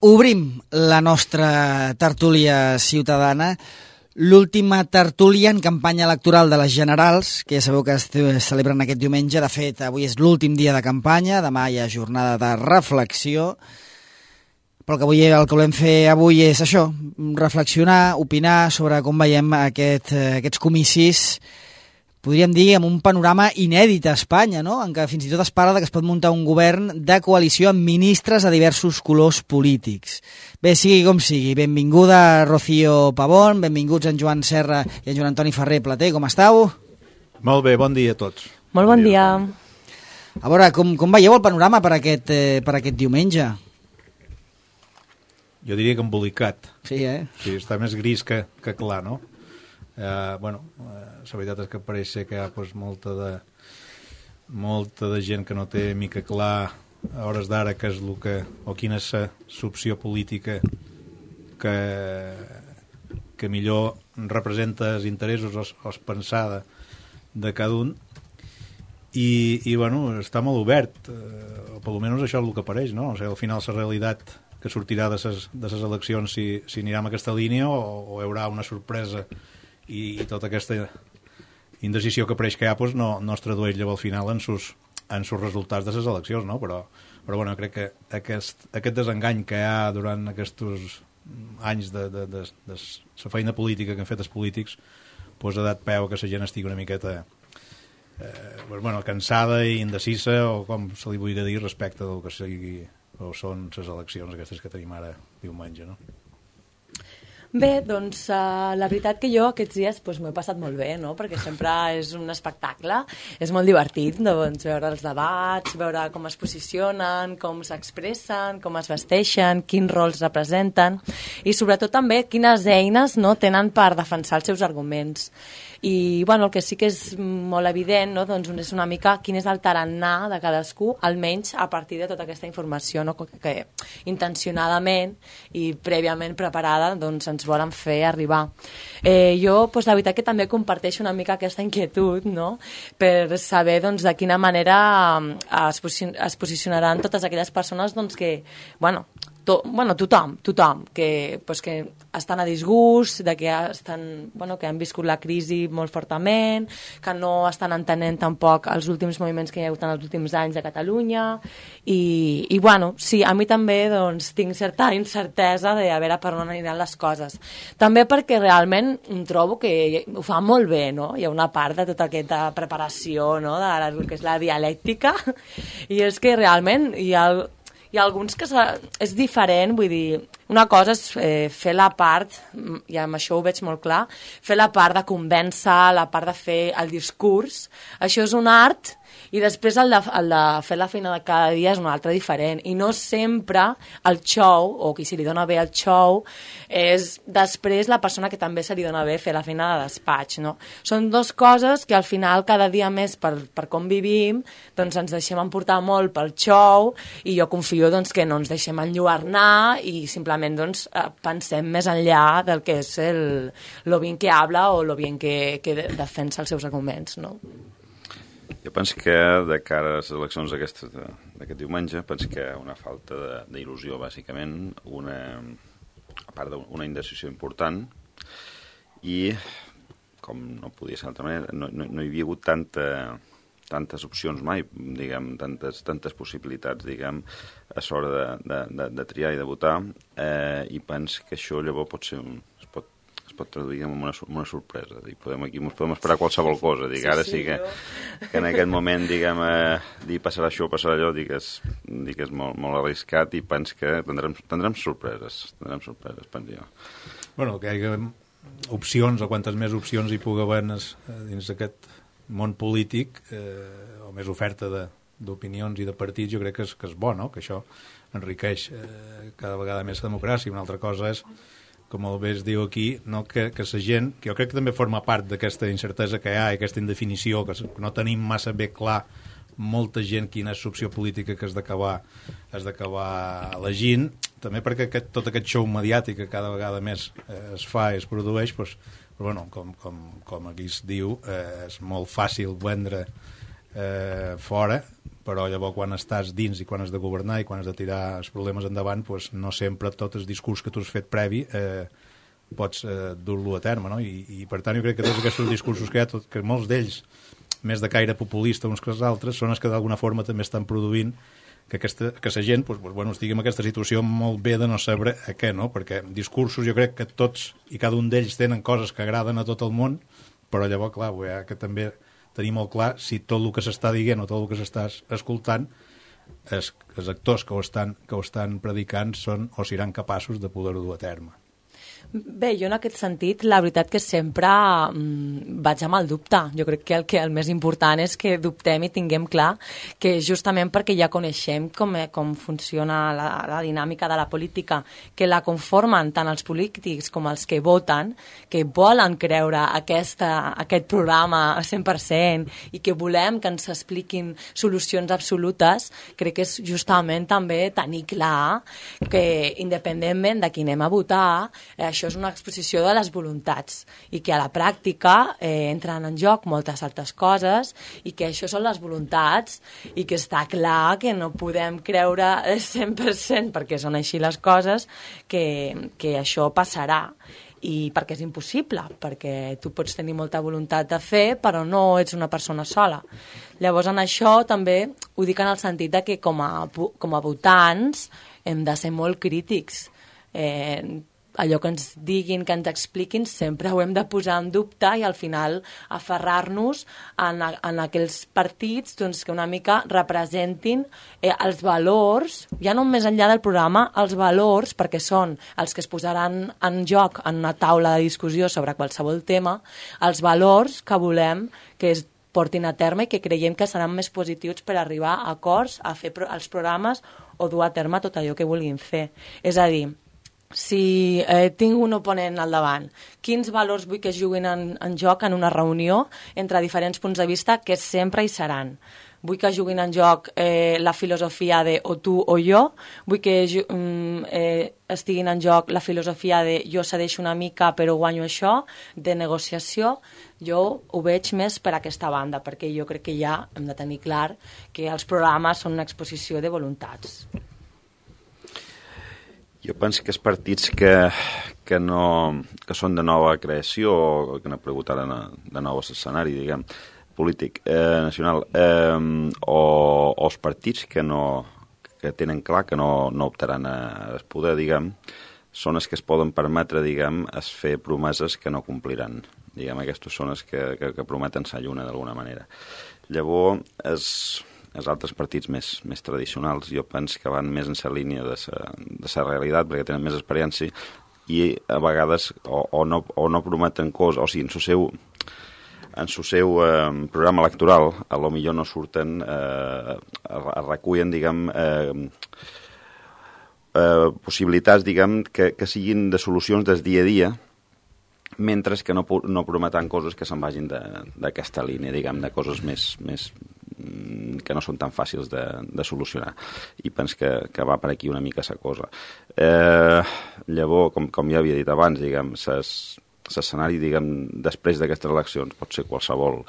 Obrim la nostra tertúlia ciutadana, l'última tertúlia en campanya electoral de les generals, que ja sabeu que es celebren aquest diumenge. De fet, avui és l'últim dia de campanya, demà hi ha jornada de reflexió, però el que volem fer avui és això, reflexionar, opinar sobre com veiem aquests comicis, podríem dir, amb un panorama inèdit a Espanya, no? En què fins i tot es parla que es pot muntar un govern de coalició amb ministres de diversos colors polítics. Bé, sigui com sigui, benvinguda Rocío Pavón, benvinguts en Joan Serra i en Joan Antoni Ferrer Plater, com estàu? Molt bé, bon dia a tots. Molt bon dia. A veure, com veieu el panorama per aquest diumenge? Jo diria que embolicat. Sí, Sí, està més gris que clar, no? La veritat és que pareix ser que hi ha molta de gent que no té mica clar a hores d'ara què és o quina és l'opció política que millor representa els interessos o els pensada de cada un i està molt obert, o per almenys això és el que apareix, no? O sigui, al final la realitat que sortirà de les eleccions si anirà en aquesta línia o hi haurà una sorpresa i tota aquesta indecisió que apareix que hi ha no es tradueix llavors al final en sus resultats de les eleccions, no? Però crec que aquest desengany que hi ha durant aquests anys de la feina política que han fet els polítics ha dat peu que la gent estigui una miqueta cansada i indecisa, o com se li vulgui dir, respecte del que sigui o són les eleccions aquestes que tenim ara diumenge, no? Bé, doncs la veritat que jo aquests dies m'ho he passat molt bé, no? Perquè sempre és un espectacle, és molt divertit veure els debats, veure com es posicionen, com s'expressen, com es vesteixen, quins rols representen i sobretot també quines eines tenen per defensar els seus arguments. I el que sí que és molt evident, no? Doncs és una mica quin és el tarannà de cadascú, almenys a partir de tota aquesta informació, no? Que intencionadament i prèviament preparada ens volen fer arribar. Jo la veritat que també comparteixo una mica aquesta inquietud, no? Per saber de quina manera es posicionaran totes aquelles persones que tothom que estan a disgust, que han viscut la crisi molt fortament, que no estan entenent tampoc els últims moviments que hi ha hagut en els últims anys a Catalunya i sí, a mi també tinc certa incertesa de a veure per on aniran les coses. També perquè realment trobo que ho fa molt bé, no? Hi ha una part de tota aquesta preparació, no? De que és la dialèctica, i és que realment hi ha alguns que és diferent, vull dir, una cosa és fer la part, i amb això ho veig molt clar, fer la part de convèncer, la part de fer el discurs, això és un art, i després el de fer la feina de cada dia és un altre diferent, i no sempre el show, o qui se li dona bé el show, és després la persona que també se li dona bé fer la feina de despatx, no? Són dues coses que al final cada dia més per com vivim ens deixem emportar molt pel show, i jo confio que no ens deixem enlluernar i simplement pensem més enllà del que és lo bien que habla o lo bien que defensa els seus arguments, no? Jo penso que de cara a les eleccions d'aquest diumenge, penso que hi ha una falta d'il·lusió, bàsicament, a part d'una indecisió important, i, com no podia ser d'altra manera, no hi havia hagut tantes opcions mai, diguem, tantes possibilitats, diguem, a l'hora de triar i de votar, i penso que això llavors es pot traduir en una sorpresa. Ens podem esperar qualsevol cosa. Ara sí que en aquest moment, diguem, dir passarà això, passarà allò, dic que és molt arriscat, i penso que tindrem sorpreses, penso jo. Bueno, que hi hagi opcions, o quantes més opcions hi pugui haver dins d'aquest món polític, o més oferta d'opinions i de partits, jo crec que és bo, no? Que això enriqueix cada vegada més la democràcia. Una altra cosa és, com el bé es diu aquí, no? Que la gent, que jo crec que també forma part d'aquesta incertesa que hi ha, i aquesta indefinició, que no tenim massa bé clar molta gent quina és l'opció política que has d'acabar elegint, també perquè tot aquest show mediàtic que cada vegada més es fa i es produeix, però bueno, com aquí es diu, és molt fàcil vendre fora, però llavors quan estàs dins i quan has de governar i quan has de tirar els problemes endavant, doncs no sempre tot el discurs que tu has fet previ pots dur-lo a terme, no? I per tant jo crec que tots aquests discursos que hi ha, que molts d'ells més de caire populista uns que els altres, són els que d'alguna forma també estan produint que la gent estigui en aquesta situació molt bé de no saber a què, no? Perquè discursos jo crec que tots i cada un d'ells tenen coses que agraden a tot el món, però llavors, clar, que també tenir molt clar si tot el que s'està dient o tot el que s'està escoltant els actors que ho estan predicant són o seran capaços de poder-ho dur a terme. Bé, jo en aquest sentit, la veritat que sempre vaig amb el dubte. Jo crec que el més important és que dubtem i tinguem clar que justament perquè ja coneixem com funciona la dinàmica de la política, que la conformen tant els polítics com els que voten, que volen creure aquest programa 100% i que volem que ens expliquin solucions absolutes, crec que és justament també tenir clar que independentment de qui anem a votar, això és una exposició de les voluntats i que a la pràctica entren en joc moltes altres coses i que això són les voluntats i que està clar que no podem creure 100% perquè són així les coses que això passarà i perquè és impossible, perquè tu pots tenir molta voluntat de fer però no ets una persona sola. Llavors en això també ho dic en el sentit de que com a votants hem de ser molt crítics. Allò que ens diguin, que ens expliquin, sempre ho hem de posar en dubte i al final aferrar-nos en aquells partits doncs, que una mica representin els valors, ja no més enllà del programa, els valors, perquè són els que es posaran en joc en una taula de discussió sobre qualsevol tema, els valors que volem que es portin a terme i que creiem que seran més positius per arribar a acords, a fer els programes o dur a terme tot allò que vulguin fer. És a dir, si tinc un oponent al davant, quins valors vull que es juguin en joc en una reunió entre diferents punts de vista que sempre hi seran? Vull que juguin en joc la filosofia de o tu o jo, vull que estiguin en joc la filosofia de jo cedeixo una mica però guanyo això, de negociació. Jo ho veig més per aquesta banda, perquè jo crec que ja hem de tenir clar que els programes són una exposició de voluntats. Jo penso que els partits que són de nova creació o que han aparegut ara de nou escenari, diguem, polític, nacional, o els partits que tenen clar que no optaran al poder, diguem, són els que es poden permetre, diguem, fer promeses que no compliran. Diguem, aquestes són els que prometen sa lluna d'alguna manera. Llavors, els altres partits més tradicionals jo penso que van més en la línia de la realitat perquè tenen més experiència i a vegades o no prometen coses, o sigui, en el seu programa electoral a lo millor no surten, recullen, diguem, possibilitats, diguem, que siguin de solucions del dia a dia, mentre que no prometen coses que se'n vagin d'aquesta línia, diguem, de coses més que no són tan fàcils de solucionar. I penso que va per aquí una mica la cosa. Llavors, com ja havia dit abans, diguem, l'escenari, diguem, després d'aquestes eleccions pot ser qualsevol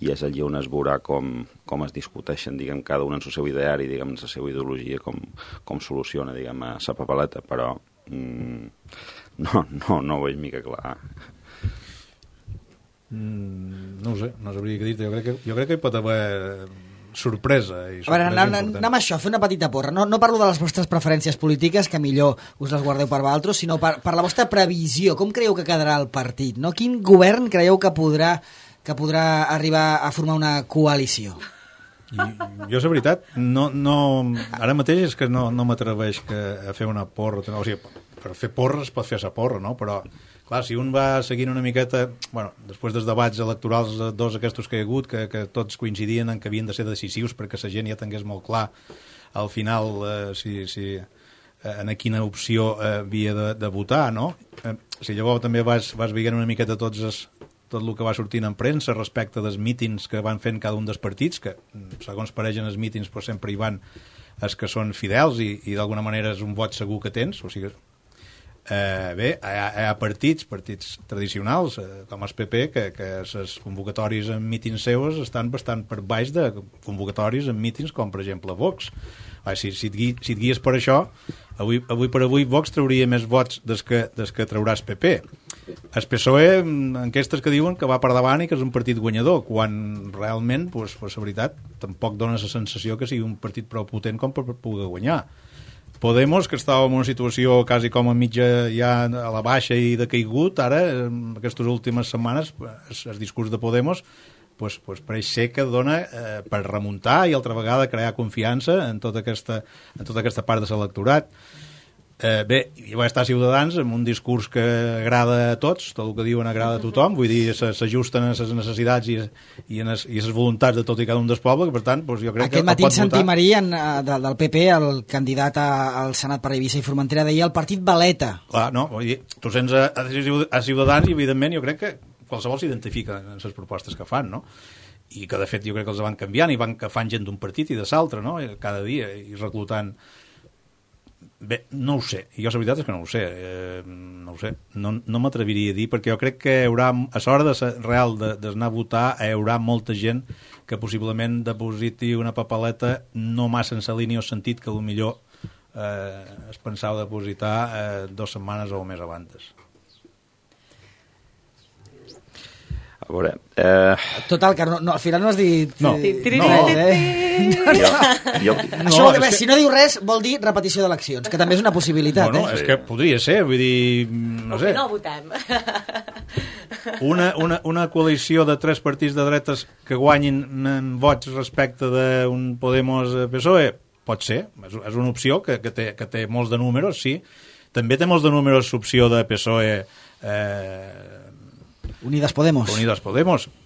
i és allí on es veurà com es discuteixen, diguem, cada un en el seu ideari, diguem, en la seva ideologia, com soluciona, diguem, la papeleta, però no ho veig mica clar. No ho sé, no sabria què dir-te. Jo crec que hi pot haver sorpresa. A veure, anem a això, fer una petita porra. No parlo de les vostres preferències polítiques, que millor us les guardeu per vosaltres, sinó per la vostra previsió. Com creieu que quedarà el partit? No? Quin govern creieu que podrà arribar a formar una coalició? Jo, la veritat, ara mateix és que no m'atreveix a fer una porra. O sigui, per fer porres pot fer la porra, no? Però clar, si un va seguint una miqueta, bueno, després dels debats electorals dos aquests que hi ha hagut, que tots coincidien en que havien de ser decisius perquè la gent ja tingués molt clar al final en quina opció havia de votar, no? Si llavors també vas veient una miqueta tot el que va sortint en premsa respecte dels mítings que van fent cada un dels partits, que segons pareixen els mítings però sempre hi van els que són fidels i d'alguna manera és un vot segur que tens, o sigui, Bé, hi ha partits tradicionals, com el PP, que les convocatòries en mítins seus estan bastant per baix de convocatòries en mítins com, per exemple, Vox. Si et guies per això, avui per avui Vox trauria més vots des que trauràs PP. El PSOE, enquestes que diuen que va per davant i que és un partit guanyador, quan realment, pues, la veritat, tampoc dona la sensació que sigui un partit prou potent com per poder guanyar. Podemos, que estava en una situació quasi com a mitja ja a la baixa i de caigut, ara, en aquestes últimes setmanes, el discurs de Podemos pues pareix ser que dona per remuntar i altra vegada crear confiança en tota aquesta part de l'electorat. Bé, hi va estar Ciutadans amb un discurs que agrada a tots, tot el que diuen agrada a tothom, vull dir, s'ajusten a les necessitats i a les voluntats de tot i cada un dels pobles, per tant, doncs jo crec que... Aquest matí sentim del PP, el candidat al Senat per Eivissa i Formentera, deia el partit Valeta. Clar, no, vull dir, tu sents a Ciutadans i evidentment jo crec que qualsevol s'identifica en les propostes que fan, no? I que de fet jo crec que els van canviant i van que fan gent d'un partit i de l'altre, no? Cada dia, i reclutant... Bé, no ho sé, jo la veritat és que no ho sé, no m'atreviria a dir, perquè jo crec que hi haurà, a l'hora real d'anar a votar, hi haurà molta gent que possiblement depositi una papeleta no massa en la línia o sentit que millor es pensava depositar 2 setmanes o més abans. A veure... Total, que no, al final no has dit... No. Això vol dir, si no diu res, vol dir repetició d'eleccions, que també és una possibilitat. Bueno, és que podria ser, vull dir... No sé. No votem. Una coalició de 3 partits de dretes que guanyin en vots respecte d'un Podemos-PSOE, pot ser, és una opció que té molts de números, sí. També té molts de números l'opció de PSOE... Unidas Podemos,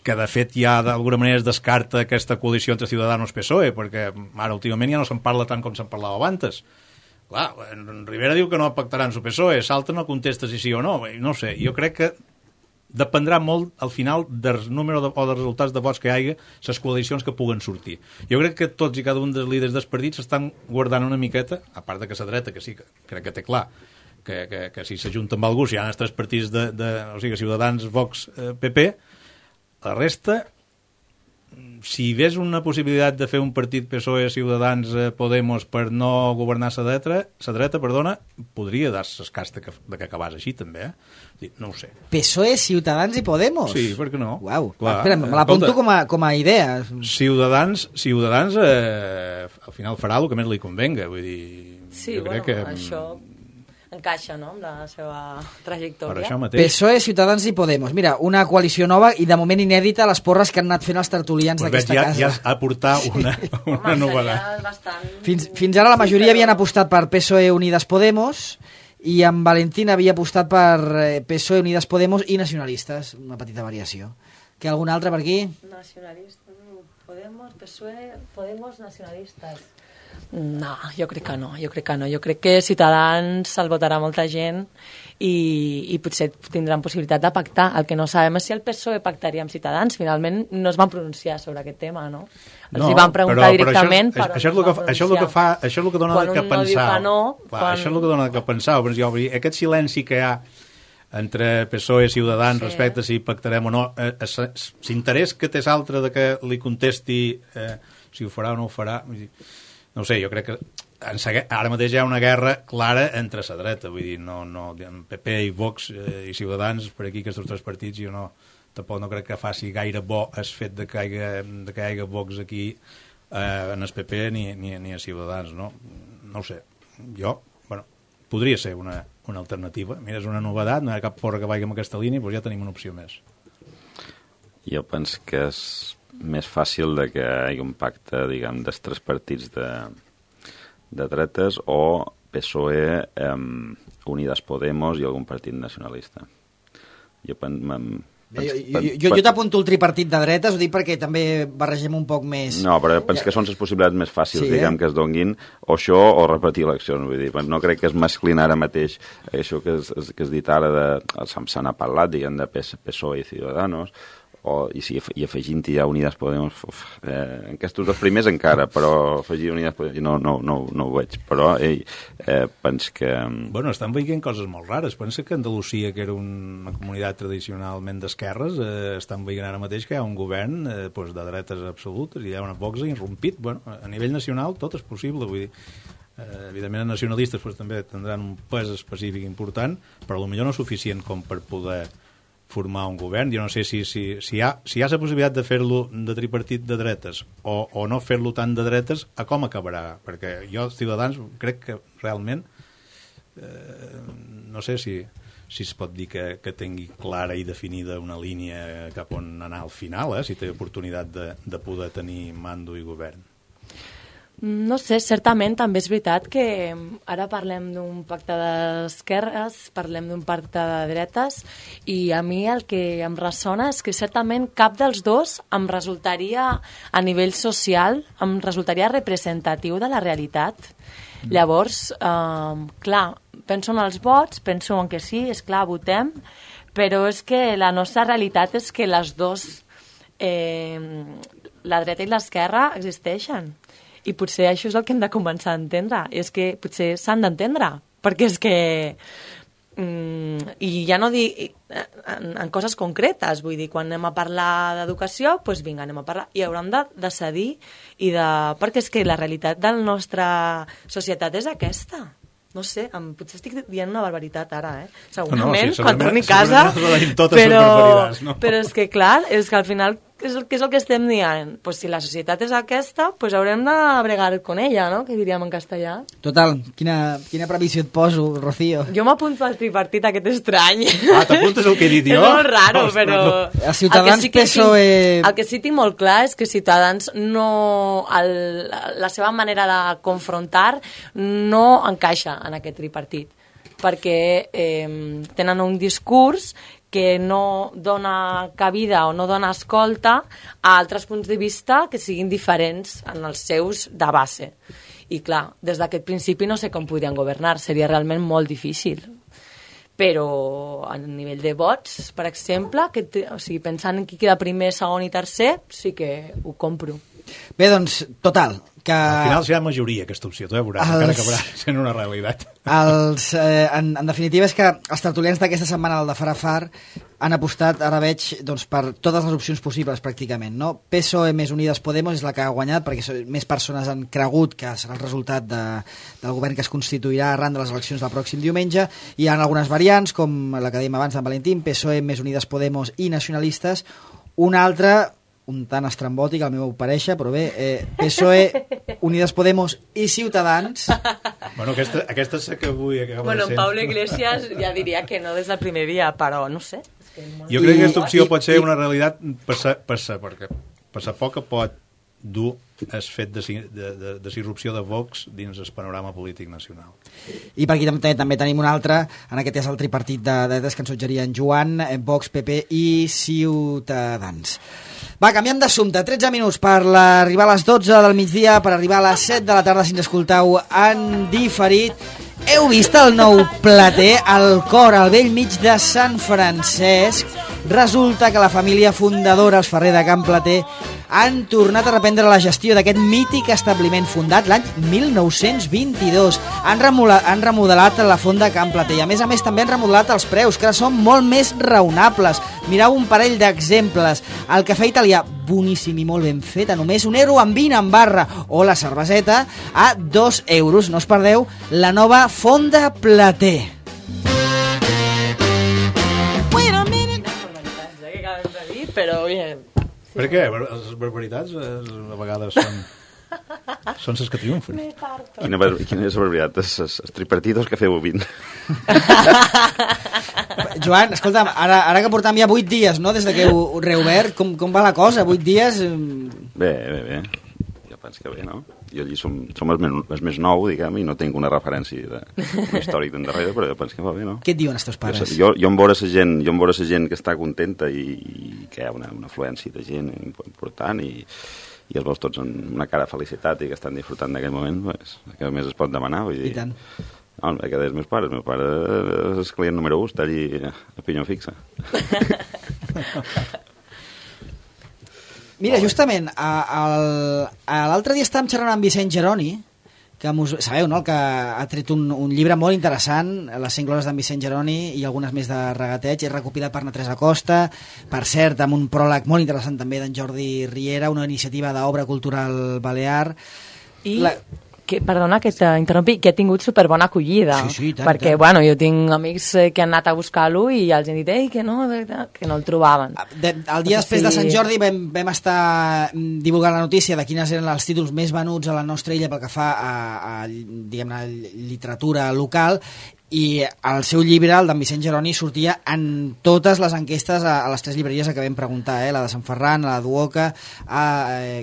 que de fet ja d'alguna manera es descarta aquesta coalició entre Ciudadanos i PSOE, perquè ara últimament ja no se'n parla tant com se'n parlava abans. Clar, Rivera diu que no pactaran su PSOE, l'altre no contesta si sí o no, no sé, jo crec que dependrà molt al final del número o dels resultats de vots que hi hagi les coalicions que puguen sortir. Jo crec que tots i cada un dels líders dels partits estan guardant una miqueta, a part de que la dreta, que sí que crec que té clar, que si s'ajunta amb algú, si hi ha els 3 partits o sigui, Ciutadans, Vox, PP, la resta, si hi ves una possibilitat de fer un partit PSOE, Ciutadans, Podemos per no governar la dreta, podria dar l'escàs de que acabàs així, també, no ho sé. PSOE, Ciutadans i Podemos? Sí, per què no? Uau, espera, me l'apunto com a idea. Ciutadans al final farà el que més li convenga, vull dir... Sí, bueno, que... això... encaixa, no?, amb la seva trajectòria. Per això mateix. PSOE, Ciutadans i Podemos. Mira, una coalició nova i de moment inèdita les porres que han anat fent els tertulians d'aquesta casa. Ja ha portat una novedat. Fins ara la majoria havien apostat per PSOE, Unidas Podemos, i en Valentín havia apostat per PSOE, Unidas Podemos i nacionalistes. Una petita variació. Que algun altre per aquí? Nacionalistes, Podemos, PSOE, Podemos, nacionalistes. No, jo crec que no. Jo crec que Ciutadans el votarà molta gent i potser tindran possibilitat de pactar. El que no sabem és si el PSOE pactaria amb Ciutadans. Finalment no es van pronunciar sobre aquest tema, no? Els hi van preguntar directament, però això és el que dona que pensar. Això és el que dona que pensar. Aquest silenci que hi ha entre PSOE i Ciutadans respecte a si pactarem o no, l'interès que té l'altre de que li contesti si ho farà o no ho farà... No ho sé, jo crec que ara mateix hi ha una guerra clara entre la dreta, vull dir, PP i Vox i Ciutadans, per aquí aquests 3 partits, jo tampoc no crec que faci gaire bo el fet de que hi hagi Vox aquí en el PP ni a Ciutadans, no? No ho sé, podria ser una alternativa. Mira, és una novedat, no hi ha cap porra que vagi en aquesta línia, doncs ja tenim una opció més. Jo penso que és més fàcil de que hi hagi un pacte, diguem, dels 3 partits de dretes o PSOE, Unidas Podemos i algun partit nacionalista. Jo t'apunto el tripartit de dretes, ho dic perquè també barregem un poc més... No, però penso que són les possibilitats més fàcils, diguem, que es donguin, o això o repetir eleccions. Vull dir, no crec que es mesclin ara mateix això que has dit ara, se n'ha parlat, diguem, de PSOE i Ciudadanos, i afegint-hi ja Unidas Podemos, en aquests dos primers encara, però afegir Unidas Podemos no ho veig, però penso que... Bueno, estan veient coses molt rares. Pensa que Andalusia, que era una comunitat tradicionalment d'esquerres, estan veient ara mateix que hi ha un govern de dretes absolutes, i hi ha una Vox irrompit. Bueno, a nivell nacional tot és possible, vull dir, evidentment els nacionalistes també tindran un pes específic important, però potser no suficient com per poder formar un govern. Jo no sé si hi ha la possibilitat de fer-lo de tripartit de dretes o no fer-lo tant de dretes, a com acabarà? Perquè jo, els Ciutadans, crec que realment no sé si es pot dir que tingui clara i definida una línia cap on anar al final, si té oportunitat de poder tenir mando i govern. No sé, certament també és veritat que ara parlem d'un pacte d'esquerres, parlem d'un pacte de dretes, i a mi el que em ressona és que certament cap dels dos em resultaria, a nivell social, em resultaria representatiu de la realitat. Llavors, clar, penso en els vots, penso en que sí, és clar, votem, però és que la nostra realitat és que les dos, la dreta i l'esquerra, existeixen. I potser això és el que hem de començar a entendre. I és que potser s'han d'entendre, perquè és que... I ja no dic en coses concretes, vull dir, quan anem a parlar d'educació, doncs vinga, anem a parlar, i hauran de decidir, perquè és que la realitat de la nostra societat és aquesta. No sé, potser estic dient una barbaritat ara, segurament, quan torni a casa, però és que clar, és que al final què és el que estem dient? Pues si la societat és aquesta, pues haurem de bregar con ella, no? Que diríem en castellà. Total, quina previsió et poso, Rocío? Jo m'apunto al tripartit aquest estrany. T'apuntes el que he dit jo? És molt raro, però... A Ciutadans, PSOE... El que sí tinc molt clar és que Ciutadans no... La seva manera de confrontar no encaixa en aquest tripartit, perquè tenen un discurs que no dona cabida o no dona escolta a altres punts de vista que siguin diferents en els seus de base. I clar, des d'aquest principi no sé com podrien governar, seria realment molt difícil. Però a nivell de vots, per exemple, pensant en qui queda primer, segon i tercer, sí que ho compro. Bé, doncs, total, que... Al final serà majoria aquesta opció, tu ja veuràs, encara acabarà sent una realitat. En definitiva és que els tertulians d'aquesta setmana del de Farafar han apostat, ara veig, doncs, per totes les opcions possibles pràcticament, no? PSOE més Unidas Podemos és la que ha guanyat, perquè més persones han cregut que serà el resultat del govern que es constituirà arran de les eleccions del pròxim diumenge. Hi ha algunes variants, com la que dèiem abans d'en Valentín, PSOE més Unidas Podemos i nacionalistes. Una altra, un tant estrambòtic, al meu parèixer, però bé, PSOE, Unidas Podemos i Ciutadans. Bueno, aquesta és que avui acaba de ser... Bueno, Pablo Iglesias ja diria que no des del primer dia, però no sé. Jo crec que aquesta opció pot ser una realitat perquè per poc que pot dur el fet de disrupció de Vox dins el panorama polític nacional. I per aquí també tenim un altre, en aquest és el tripartit de dretes que ens suggerien Joan, Vox, PP i Ciutadans. Va, canviem d'assumpte. 13 minuts per arribar a les 12 del migdia, per arribar a les 7 de la tarda si ens escolteu en diferit. Heu vist el nou plater, el cor al vell mig de Sant Francesc? Resulta que la família fundadora, els Ferrer de Can Plater, han tornat a reprendre la gestió d'aquest mític establiment fundat l'any 1922. Han remodelat la font de Can Plater i a més també han remodelat els preus, que són molt més raonables. Mireu un parell d'exemples. El cafè italià, boníssim i molt ben fet, a només €1,20 en barra, o la cerveseta a €2. No us perdeu la nova font de Plater. Però bien. Per què? Les barbaritats a vegades són les que triomfen. Quina és la barbaritat? Els tripartitos que feu 20. Joan, escolta'm, ara que portam ja 8 dies, no?, des que heu reobert, com va la cosa? 8 dies... Bé. Jo penso que bé, no? Jo allí som els més nou, diguem, i no tinc una referència d'un històric d'endarrere, però jo penso que va bé, no? Què et diuen els teus pares? Jo em veure la gent que està contenta i que hi ha una afluència de gent important i els veus tots amb una cara de felicitat i que estan disfrutant d'aquell moment, pues, què més es pot demanar? Vull dir, i tant. No, que dels meus pares. El meu pare és el client número 1, està allí a pinyó fixa. Mira, justament, l'altre dia estàvem xerrant amb Vicent Geroni, que sabeu, no?, que ha tret un llibre molt interessant, Les 100 glòries d'en Vicent Geroni i algunes més de regateig, és recopilat per na Teresa Costa, per cert, amb un pròleg molt interessant també d'en Jordi Riera, una iniciativa d'obra cultural balear. Perdona que t'interrompi, que ha tingut superbona acollida. Sí, tant, perquè, tant. bueno, jo tinc amics que han anat a buscar-lo i els han dit que no el trobaven. El dia després de Sant Jordi vam estar divulgant la notícia de quines eren els títols més venuts a la nostra illa pel que fa a diguem-ne, literatura local, i el seu llibre, el d'en Vicent Geroni, sortia en totes les enquestes a les 3 llibreries que vam preguntar, la de Sant Ferran, la de Duoca,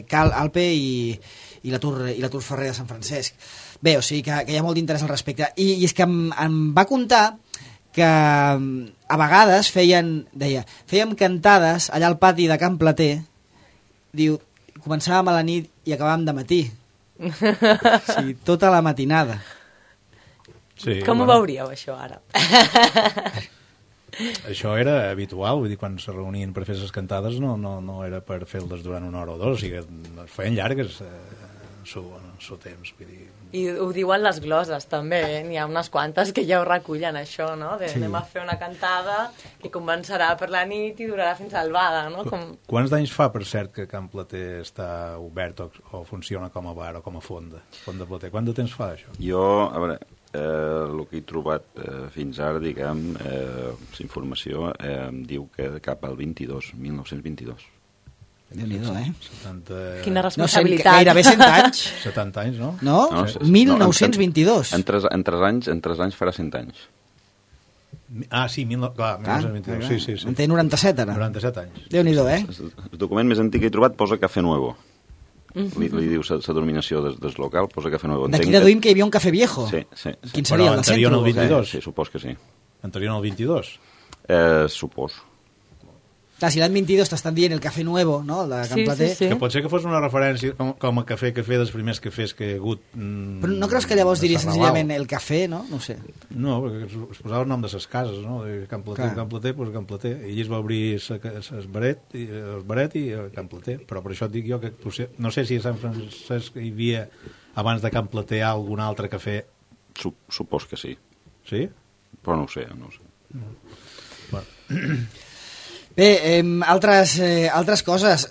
Cal Alpe i la Tour Ferrer de Sant Francesc. Bé, o sigui que hi ha molt d'interès al respecte. I és que em va contar que a vegades fèiem cantades allà al pati de Can Plater, diu, començàvem a la nit i acabàvem de matí. O sigui, tota la matinada. Sí, Com ho veuríeu, això, ara? Això era habitual, vull dir, quan se reunien per fer les cantades no era per fer-les durant una hora o dos, o sigui, es feien llargues su temps, vull dir. I ho diuen les gloses, també, n'hi ha unes quantes que ja ho recullen, això, no? Anem a fer una cantada que començarà per la nit i durarà fins a l'albada, no? Quants d'anys fa, per cert, que Can Plater està obert o funciona com a bar o com a fonda Plater? Quant de temps fa, això? Jo, a veure, el que he trobat fins ara, diguem, informació, diu que cap al 1922. Déu-n'hi-do, 70... Quina responsabilitat. Gairebé 100 anys. 70 anys, no? No? 1922. En 3 anys farà 100 anys. Sí, clar, 1922, sí. En té 97, ara. 97 anys. Déu-n'hi-do, El document més antic que he trobat posa Café Nuevo. Li diu la denominació del local, posa Café Nuevo. D'aquí deduïm que hi havia un Café Viejo. Sí. Quin seria, el del centre? Anterior al 22? Sí, supos que sí. Anterior al 22? Supos. Clar, si l'any 22 t'estan dient el Café Nuevo, no?, el de Can Plater. Sí. Que pot ser que fos una referència com a cafè dels primers cafès que hi ha hagut. Però no creus que llavors diria senzillament el cafè, no? No ho sé. No, perquè es posava el nom de les cases, no? De Can Plater, Can Plater, doncs Can Plater. I allí es va obrir el baret i Can Plater. Però per això et dic jo que potser, no sé si a Sant Francesc hi havia, abans de Can Plater, algun altre cafè. Supos que sí. Sí? Però no ho sé. Bueno. Bé, altres coses.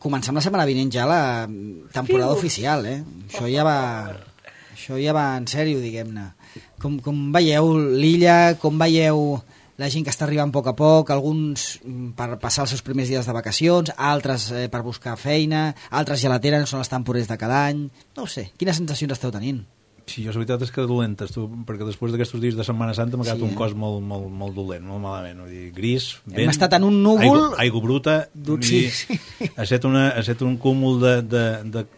Comencem la setmana vinent ja la temporada oficial, Això ja va en sèrio, diguem-ne. Com veieu l'illa, com veieu la gent que està arribant a poc, alguns per passar els seus primers dies de vacacions, altres per buscar feina, altres ja la tenen, són les temporades de cada any. No ho sé, quines sensacions esteu tenint? Sí, jo la veritat és que dolentes, perquè després d'aquests dies de Setmana Santa m'ha quedat un cos molt dolent, molt malament. Vull dir, gris, vent... Hem estat en un núvol... Aigua bruta, sí. Ha estat un cúmul de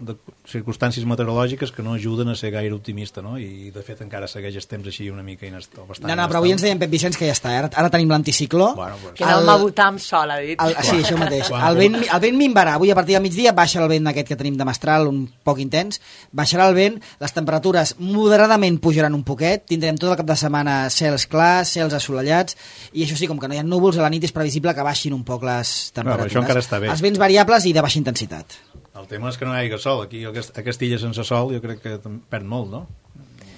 circumstàncies meteorològiques que no ajuden a ser gaire optimista, no? I, de fet, encara segueix el temps així una mica bastant... No, però avui ens deien Pep Vicenç que ja està, ara tenim l'anticicló... Bueno, pues... Que anàvem a votar amb sol, ha dit. Sí, això mateix. El vent minvarà, avui a partir del migdia baixa el vent aquest que tenim de mestral, un poc intens, baixarà el vent, les temperatures moderadament pujaran un poquet, tindrem tot el cap de setmana cels clars, cels assolellats, i això sí, com que no hi ha núvols, a la nit és previsible que baixin un poc les temperatures. Això encara està bé. Els vents variables i de baixa intensitat. El tema és que no hi hagi sol. Aquí, a Castilla sense sol, jo crec que perd molt, no?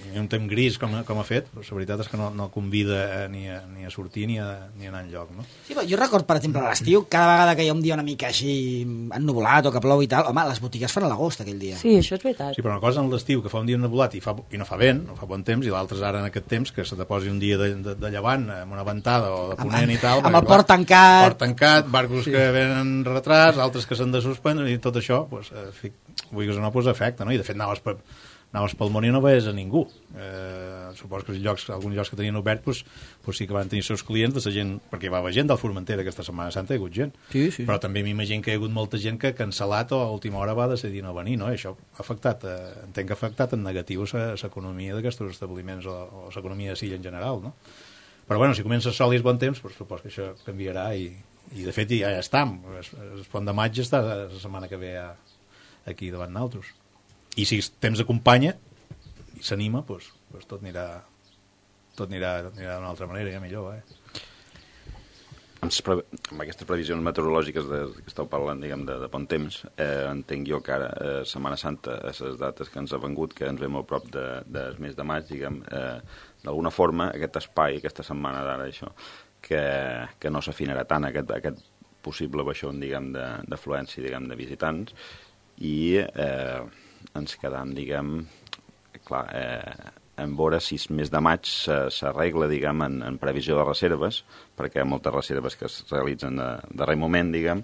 I un temps gris com ha fet, però la veritat és que no convida ni a sortir ni a anar enlloc, no? Sí, però jo record, per exemple, a l'estiu, cada vegada que hi ha un dia una mica així ennuvolat o que plou i tal, home, les botigues fan a l'agost aquell dia. Sí, això és veritat. Sí, però una cosa en l'estiu, que fa un dia ennuvolat i no fa vent, no fa bon temps, i l'altre és ara en aquest temps, que se te posi un dia de llevant, amb una ventada o de ponent i tal... Amb el port tancat... Port tancat, barcos que venen retrats, altres que s'han de suspendre, i tot això, doncs, vulguis o no, afecta, no? I de fet anaves pel món i no veies a ningú. Suposo que alguns llocs que tenien obert sí que van tenir els seus clients de la gent, perquè hi va haver gent del Formentera aquesta Setmana Santa, hi ha hagut gent. Sí. Però també m'imagino que hi ha hagut molta gent que ha cancel·lat o a última hora va decidir no venir, no? I això ha afectat, entenc que ha afectat en negatiu l'economia d'aquests establiments o l'economia de Silla en general, no? Però bueno, si comença sol i és bon temps, suposo que això canviarà i de fet ja estem. El pont de maig està la setmana que ve aquí davant nosaltres. I si el temps acompanya i s'anima, doncs tot anirà d'una altra manera, ja millor, En amb aquestes previsions meteorològiques que esteu parlant, diguem, de bon temps, entenc jo que ara, Setmana Santa, a les dates que ens ha vengut, que ens ve molt prop del mes de maig, diguem, d'alguna forma, aquest espai, aquesta setmana d'ara, això, que no s'afinarà tant, aquest possible baixón, diguem, d'afluència, diguem, de visitants, i ens quedam, diguem, clar, en veure si el mes de maig s'arregla, diguem, en previsió de reserves, perquè hi ha moltes reserves que es realitzen de darrer moment, diguem,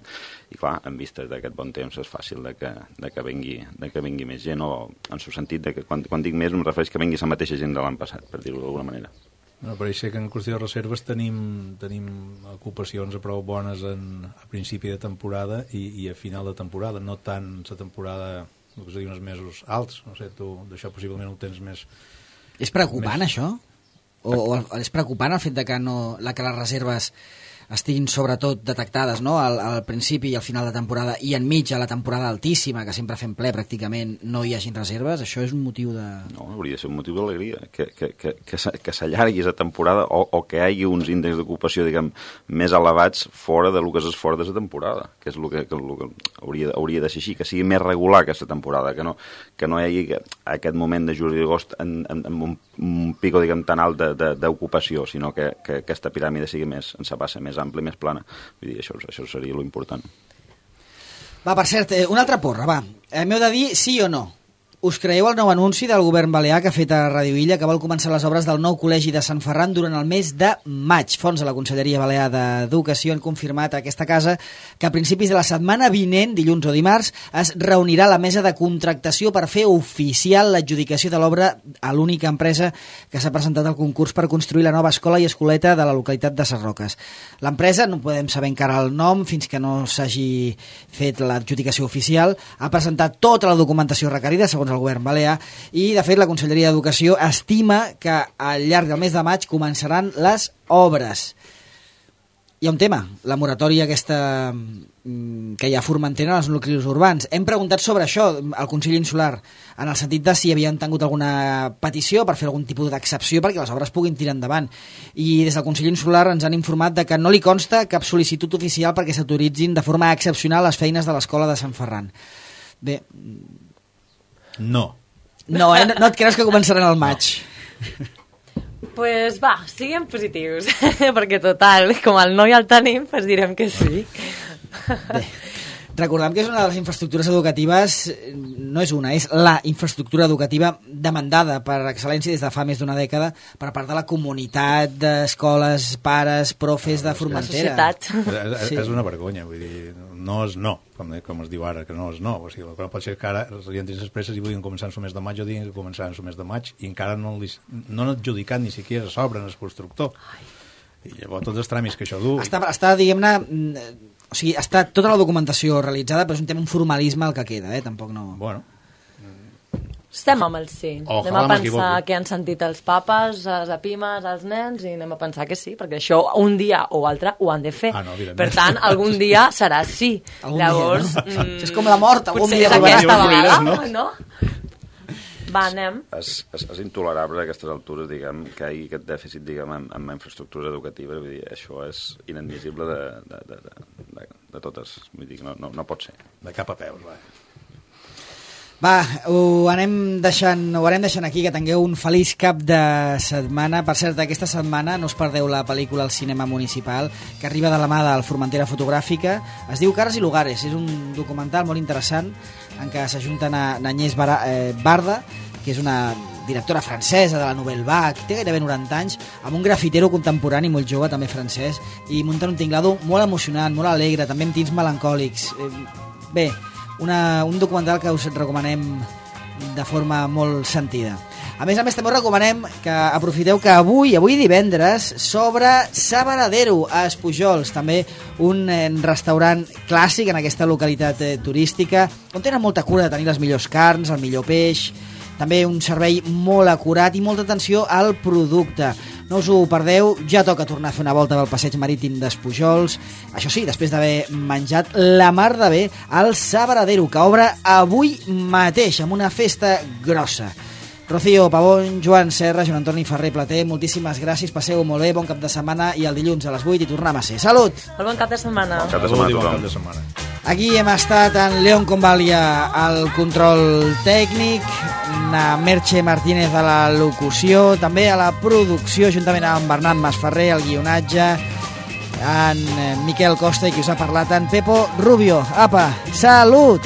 i clar, en vistes d'aquest bon temps és fàcil de que vingui més gent, o en el sentit de que quan dic més em refereix que vingui la mateixa gent de l'any passat, per dir-ho d'alguna manera. No, pareix ser que en qüestió de reserves tenim ocupacions a prou bones a principi de temporada i a final de temporada, no tant la temporada, el que se diu, uns mesos alts, no sé, tu d'això possiblement ho tens més... És preocupant, això? O és preocupant el fet de que les reserves estiguin sobretot detectades, no? Al principi i al final de temporada, i enmig a la temporada altíssima, que sempre fem ple pràcticament, no hi hagin reserves? Això és un motiu de... No, hauria de ser un motiu d'alegria, que s'allargui la temporada o que hi hagi uns índexs d'ocupació, diguem, més elevats fora del que és fora de la temporada, que és el que hauria de ser així, que sigui més regular aquesta temporada, que no hi hagi aquest moment de juliol i agost amb un pico, diguem, tan alt d'ocupació, sinó que aquesta piràmide sigui més, en sa base, més ampli, més plana. Vull dir, això seria l'important. Va, per cert, una altra porra, va. M'heu de dir sí o no. Us creieu el nou anunci del govern balear que ha fet a Radio Illa, que vol començar les obres del nou col·legi de Sant Ferran durant el mes de maig? Fons de la Conselleria Balear d'Educació han confirmat a aquesta casa que a principis de la setmana vinent, dilluns o dimarts, es reunirà la mesa de contractació per fer oficial l'adjudicació de l'obra a l'única empresa que s'ha presentat al concurs per construir la nova escola i escoleta de la localitat de Ses Roques. L'empresa, no podem saber encara el nom fins que no s'hagi fet l'adjudicació oficial, ha presentat tota la documentació requerida, segons el govern balear, i de fet la Conselleria d'Educació estima que al llarg del mes de maig començaran les obres. Hi ha un tema, la moratòria aquesta que hi ha a Formentera en els nuclis urbans. Hem preguntat sobre això al Consell Insular, en el sentit de si havien tingut alguna petició per fer algun tipus d'excepció perquè les obres puguin tirar endavant. I des del Consell Insular ens han informat de que no li consta cap sol·licitud oficial perquè s'autoritzin de forma excepcional les feines de l'escola de Sant Ferran. Bé... No. No, no et creus que començaran al maig? Pues va, siguem positius, perquè total, com el no ja el tenim, pues direm que sí. Bé, recordem que és una de les infraestructures educatives, no és una, és la infraestructura educativa demandada per excel·lència des de fa més d'una dècada per part de la comunitat d'escoles, pares, profes de Formentera. La societat. És una vergonya, vull dir, no és no, com es diu ara, que no és no. O sigui, el que no pot ser que ara els orientis expresses i vulguin començar en el mes de maig o diguin que començaran en el mes de maig i encara no han adjudicat ni siquiera s'obren el constructor. I llavors tots els tràmits que això du... Està diguem-ne... O sigui, està tota la documentació realitzada, però és un tema, un formalisme el que queda, tampoc no... Bueno. Estem amb el sí. Ojalà anem a pensar que han sentit els papes, les apimes, els nens, i anem a pensar que sí, perquè això un dia o altre ho han de fer. Per tant, algun dia serà sí. Llavors, dia, no? És com la mort, algun dia arribarà. Potser aquesta vegada, no? Va, anem. És intolerable a aquestes altures, diguem, que hi hagi aquest dèficit, diguem, en infraestructura educativa. Vull dir, això és inadmissible de totes. Vull dir, no pot ser. De cap a peus, va. Va, ho anem deixant aquí, que tingueu un feliç cap de setmana. Per cert, aquesta setmana no us perdeu la pel·lícula al cinema municipal, que arriba de la mà del Formentera Fotogràfica. Es diu Cares i Lugares, és un documental molt interessant en què s'ajunten a Agnès Barda, que és una directora francesa de la Nouvelle Vague, té gairebé 90 anys, amb un grafitero contemporani molt jove, també francès, i munten un tinglado molt emocionant, molt alegre, també amb tints melancòlics. Bé, un documental que us recomanem de forma molt sentida. A més, també us recomanem que aprofiteu que avui divendres, s'obre Sabaradero a Espujols, també un restaurant clàssic en aquesta localitat turística, on tenen molta cura de tenir les millors carns, el millor peix, també un servei molt acurat i molta atenció al producte. No us ho perdeu, ja toca tornar a fer una volta pel passeig marítim d'Espujols, això sí, després d'haver menjat la mar de bé al Sabaradero, que obre avui mateix amb una festa grossa. Rocío Pavón, Joan Serra, Joan Antoni Ferrer Plater, moltíssimes gràcies, passeu molt bé, bon cap de setmana i el dilluns a les 8 hi tornem a ser. Salut! Molt bon cap de setmana. Bon cap de setmana a Bon tothom. cap de setmana. Aquí hem estat en León Convalia al control tècnic, na Merche Martínez a la locució, també a la producció, juntament amb Bernat Masferrer, al guionatge, en Miquel Costa i qui us ha parlat, en Pepo Rubio. Apa, salut!